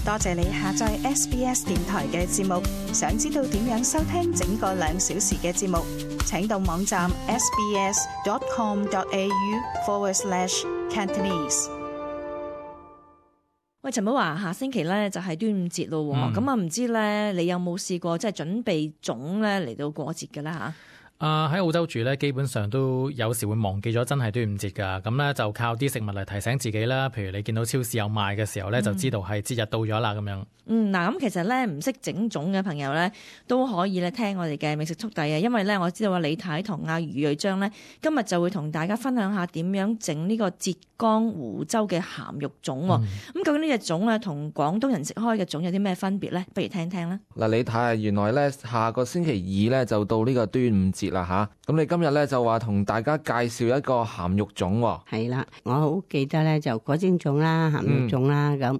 多謝你下載 SBS 電台嘅節目。想知道點樣收聽整個2小時嘅節目，請到網站 sbs.com.au/Cantonese。喂，陳寶華，下星期咧就係端午節咯，咁唔知咧你有冇試過即係準備粽咧嚟到過節嘅啦嚇？喺澳洲住咧，基本上都有時會忘記咗真係端午節㗎，咁咧就靠啲食物嚟提醒自己啦。譬如你見到超市有賣嘅時候咧，就知道係節日到咗啦咁樣。嗱，咁其實咧唔識整粽嘅朋友咧都可以咧聽我哋嘅美食速遞啊，因為咧我知道李太同阿余瑞章咧今日就會同大家分享下點樣整呢個浙江湖州嘅鹹肉粽喎。咁究竟呢隻粽咧同廣東人食開嘅粽有啲咩分別咧？不如聽聽啦。嗱，李太，原來咧下個星期2咧就到呢個端午節啦吓，咁你今日咧就話同大家介紹一個鹹肉粽喎。係啦，我好記得咧就果蒸粽啦、鹹肉粽啦、咁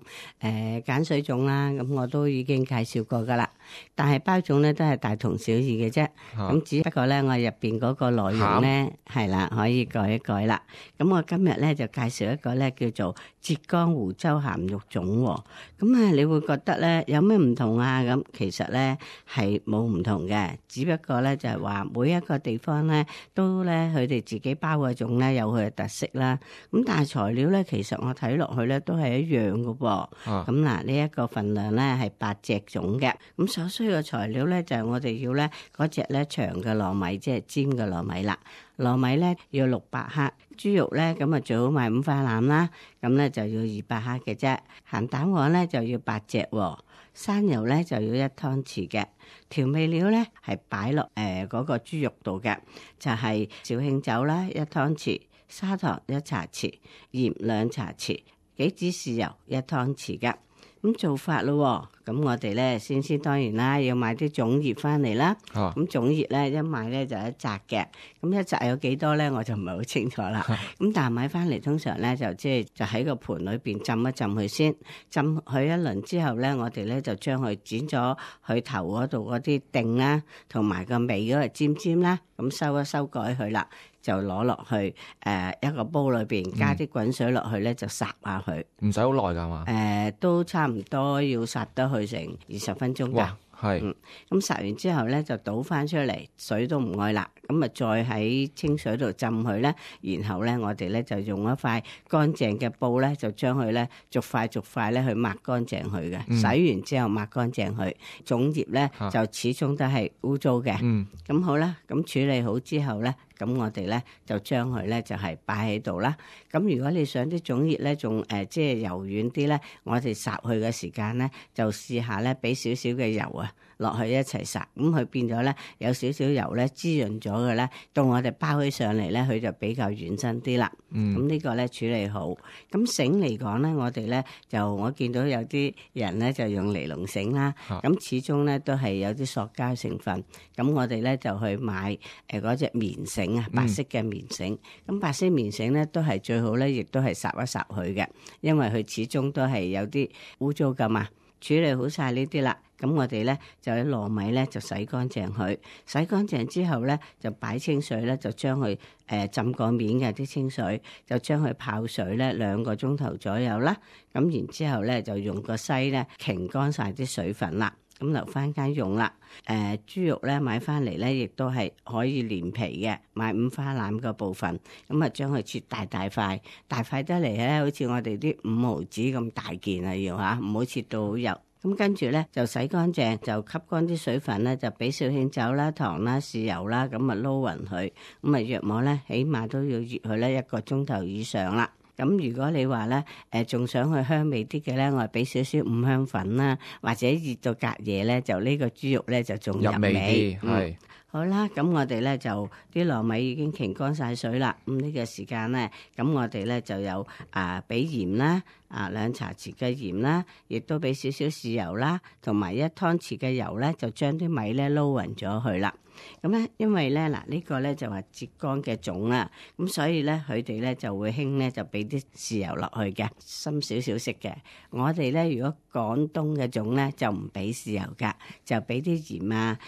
鹼水粽啦，咁我都已經介紹過噶啦。但係包粽咧都係大同小異嘅啫，咁只不過咧我入邊嗰個內容咧係啦可以改一改啦。咁我今日咧就介紹一個咧叫做浙江湖州鹹肉粽喎。咁你會覺得咧有咩唔同啊？咁其實咧係冇唔同嘅，只不過咧就係話每一個地方咧都咧佢哋自己包嘅粽咧有佢嘅特色啦。咁但係材料咧其實我睇落去咧都係一樣嘅噃。咁嗱呢一個份量咧係8隻粽嘅。咁所需嘅材料咧就係我哋要咧嗰隻咧長嘅糯米，即係尖嘅糯米啦。糯米咧要600克，豬肉咧咁啊最好買5花腩啦，咁咧就要200克嘅啫。鹹蛋黃咧就要8隻，生油咧就要1湯匙嘅。調味料咧係擺落嗰個豬肉度嘅，就係紹興酒啦1湯匙，砂糖1茶匙，鹽2茶匙，杞子豉油1湯匙嘅。咁做法咯，咁我哋咧先當然啦，要買啲粽葉翻嚟啦。咁粽葉咧一買咧就一紮嘅，咁一紮有幾多咧我就唔係好清楚啦。咁但係買翻嚟通常咧就喺個盤裏邊浸一浸佢先，浸佢一輪之後咧，我哋咧就將佢剪咗佢頭嗰度嗰啲頂啦，同埋個尾嗰個尖尖啦，咁收一修改佢啦。就攞落去一個煲裏邊，加啲滾水落去咧，就烚下佢。唔使好耐㗎嘛？都差唔多要烚得去成20分鐘㗎。哇，係。咁烚完之後咧，就倒翻出嚟，水都唔愛啦。咁啊，再喺清水度浸佢咧，然後咧，我哋咧就用一塊乾淨嘅布咧，就將佢咧逐塊咧去抹乾淨佢嘅。洗完之後抹乾淨佢，粽葉咧就始終都係污糟嘅。咁好啦，咁處理好之後咧。咁我哋咧就將佢咧就係擺喺度啦。咁如果你想啲粽葉咧仲即係柔軟啲咧，我哋烚佢嘅時間咧就試下咧俾少少嘅油啊落去一齊烚，咁佢變咗咧有少少油咧滋潤咗嘅咧，到我哋包起上嚟咧佢就比較軟身啲啦。咁呢個咧處理好。咁繩嚟講咧，我哋咧就我見到有啲人咧就用尼龍繩啦，咁始終咧都係有啲塑膠成分。咁我哋咧就去買嗰隻棉繩。白色嘅棉繩，咁白色棉繩咧都係最好咧，亦都係烚一烚佢嘅，因為佢始終都係有啲污糟噶嘛。處理好晒呢啲啦，咁我哋咧就喺糯米咧就洗乾淨佢，洗乾淨之後咧就擺清水咧，就將佢浸過面嘅啲清水，就將佢泡水咧2個鐘頭左右啦。咁然之後咧就用個篩咧擎乾晒啲水分啦。咁留翻間用啦。豬肉咧買翻嚟咧，亦都係可以連皮嘅，買5花腩個部分，咁啊將佢切大塊，大塊得嚟咧，好似我哋啲5毫子咁大件啊，要嚇，唔好切到好幼。咁跟住咧就洗乾淨，就吸乾啲水分咧，就俾紹興酒啦、糖啦、豉油啦，咁啊撈勻佢，咁啊約莫咧，起碼都要醃佢咧1個鐘頭以上啦。咁如果你話咧，仲想去香味啲嘅咧，我係俾少少五香粉啦，或者熱到隔夜咧，就呢個豬肉咧就仲入味。係好啦，咁我哋咧就啲糯米已經擎乾晒水啦。咁呢個時間咧，咁我哋咧就有俾鹽啦，2茶匙嘅鹽啦，亦都俾少少豉油啦，同埋1湯匙嘅油咧，就將啲米咧撈勻咗去啦。咁咧，因為咧嗱呢個咧就話浙江嘅粽啦，咁所以咧佢哋咧就會興咧就俾啲豉油落去嘅，深少少色嘅。我哋咧如果廣東嘅粽咧就唔俾豉油噶，就俾啲鹽啊，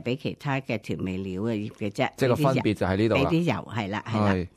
俾其他嘅調味料嘅葉嘅啫。即係個分別就喺呢度啦。俾啲油係啦，係啦。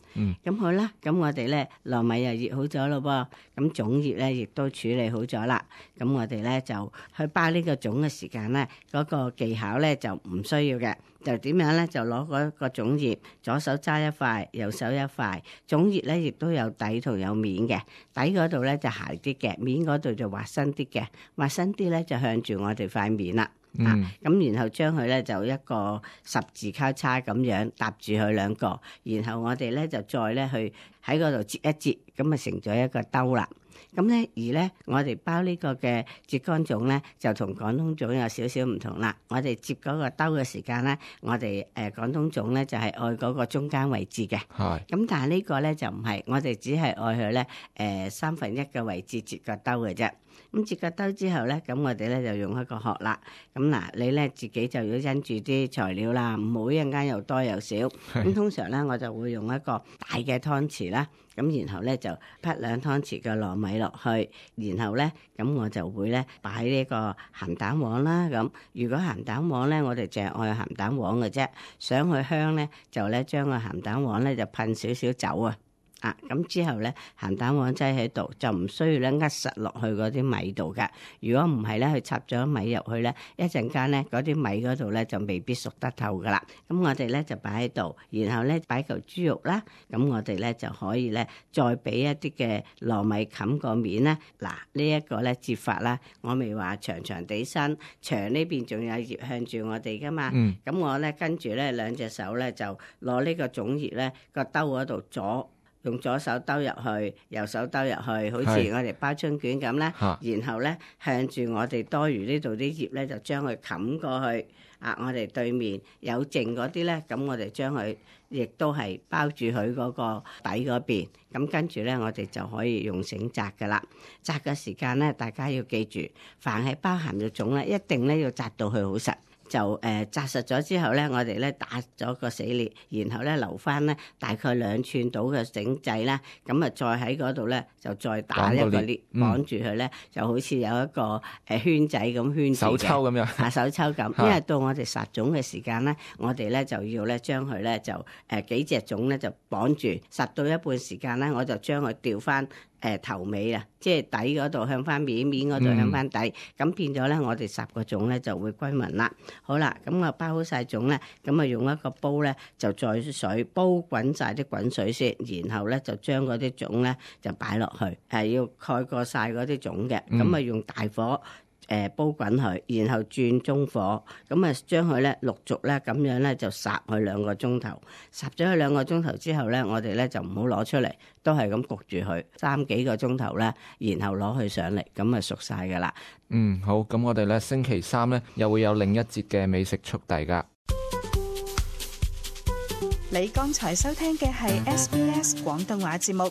咁好啦，咁我哋咧糯米又醃好咗咯噃，咁粽葉咧亦都處理好咗啦。咁我哋咧就去包呢個粽嘅時間咧，嗰個技巧咧就唔需要嘅。就點樣咧？就攞嗰個粽葉，左手揸一塊，右手一塊。粽葉咧亦都有底同有面嘅，底嗰度咧就鞋啲嘅，面嗰度就滑身啲嘅，滑身啲咧就向住我哋塊面啦。咁然後將佢咧就一個十字交叉咁樣搭住佢兩個，然後我哋咧就再咧去喺嗰度折一折，咁啊成咗一個兜啦。咁咧而咧我哋包呢個嘅浙江粽咧就同廣東粽有少少唔同啦。我哋接嗰個兜嘅時間咧，我哋廣東粽咧就係愛嗰個中間位置嘅。係。咁但係呢個咧就唔係，我哋只係愛佢咧1/3嘅位置截個兜嘅啫。咁截個兜之後咧，咁我哋咧就用一個殼啦。咁嗱，你咧自己就要因住啲材料啦，唔好一陣間又多又少。咁通常咧，我就會用一個大嘅湯匙啦。咁然後咧就潷2湯匙嘅糯米落去，然後咧咁我就會咧擺呢個鹹蛋黃啦。咁如果鹹蛋黃咧，我哋淨係愛鹹蛋黃嘅啫。想去香咧，就咧將個鹹蛋黃咧就噴少少酒啊。咁之後咧，鹹蛋黃擠喺度，就唔需要咧扼實落去嗰啲米度㗎。如果唔係咧，佢插咗米入去咧，一陣間咧嗰啲米嗰度咧就未必熟得透噶啦。咁我哋咧就擺喺度，然後咧擺嚿豬肉啦。咁我哋咧就可以咧再俾一啲嘅糯米冚個面咧。嗱，呢一個咧折法啦，我未話長長地身，長呢邊仲有葉向住我哋噶嘛。咁我咧跟住咧兩隻手咧就攞呢個粽葉咧個兜嗰度用左手兜入去，右手兜入去，好似我哋包春卷咁咧。然後咧向住我哋多餘呢度啲葉咧，就將佢冚過去。我哋對面有剩嗰啲咧，咁我哋將佢亦都係包住佢嗰個底嗰邊。咁跟住咧，我哋就可以用繩紮噶啦。紮嘅時間咧，大家要記住，凡係包鹹肉粽咧，一定咧要紮到佢好實。就紮實咗之後咧，我哋咧打咗個死裂，然後咧留翻咧大概2寸到嘅繩仔啦，咁啊再喺嗰度咧就再打一個裂，綁住佢咧，就好似有一個圈仔咁圈住嘅手抽咁樣，手抽咁。因為到我哋殺粽嘅時間咧，我哋咧就要咧將佢咧就幾隻粽咧就綁住，殺到一半時間咧，我就將佢調翻。頭尾啊，即係底嗰度向翻面，面嗰度向翻底，咁變咗咧，我哋10個粽咧就會均勻啦。好啦，咁我包好晒粽咧，咁啊用一個煲咧就載水煲滾晒啲滾水先，然後咧就將嗰啲粽咧就擺落去，要蓋過晒嗰啲粽嘅，咁啊用大火。煲滾佢，然後轉中火，咁啊將佢咧陸續咧咁樣咧就烚佢2個鐘頭，烚咗佢2個鐘頭之後咧，我哋咧就唔好攞出嚟，都係咁焗住佢3幾個鐘頭咧，然後攞佢上嚟，咁啊熟晒噶啦。好，咁我哋咧星期3咧又會有另一節嘅美食速遞噶。你剛才收聽嘅係 SBS 廣東話節目。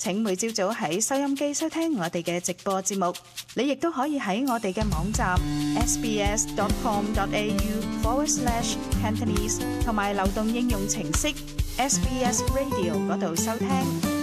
請每朝早喺收音機收聽我哋嘅直播節目，你亦都可以喺我哋嘅網站 sbs.com.au/Cantonese 同埋流動應用程式 SBS Radio 嗰度收聽。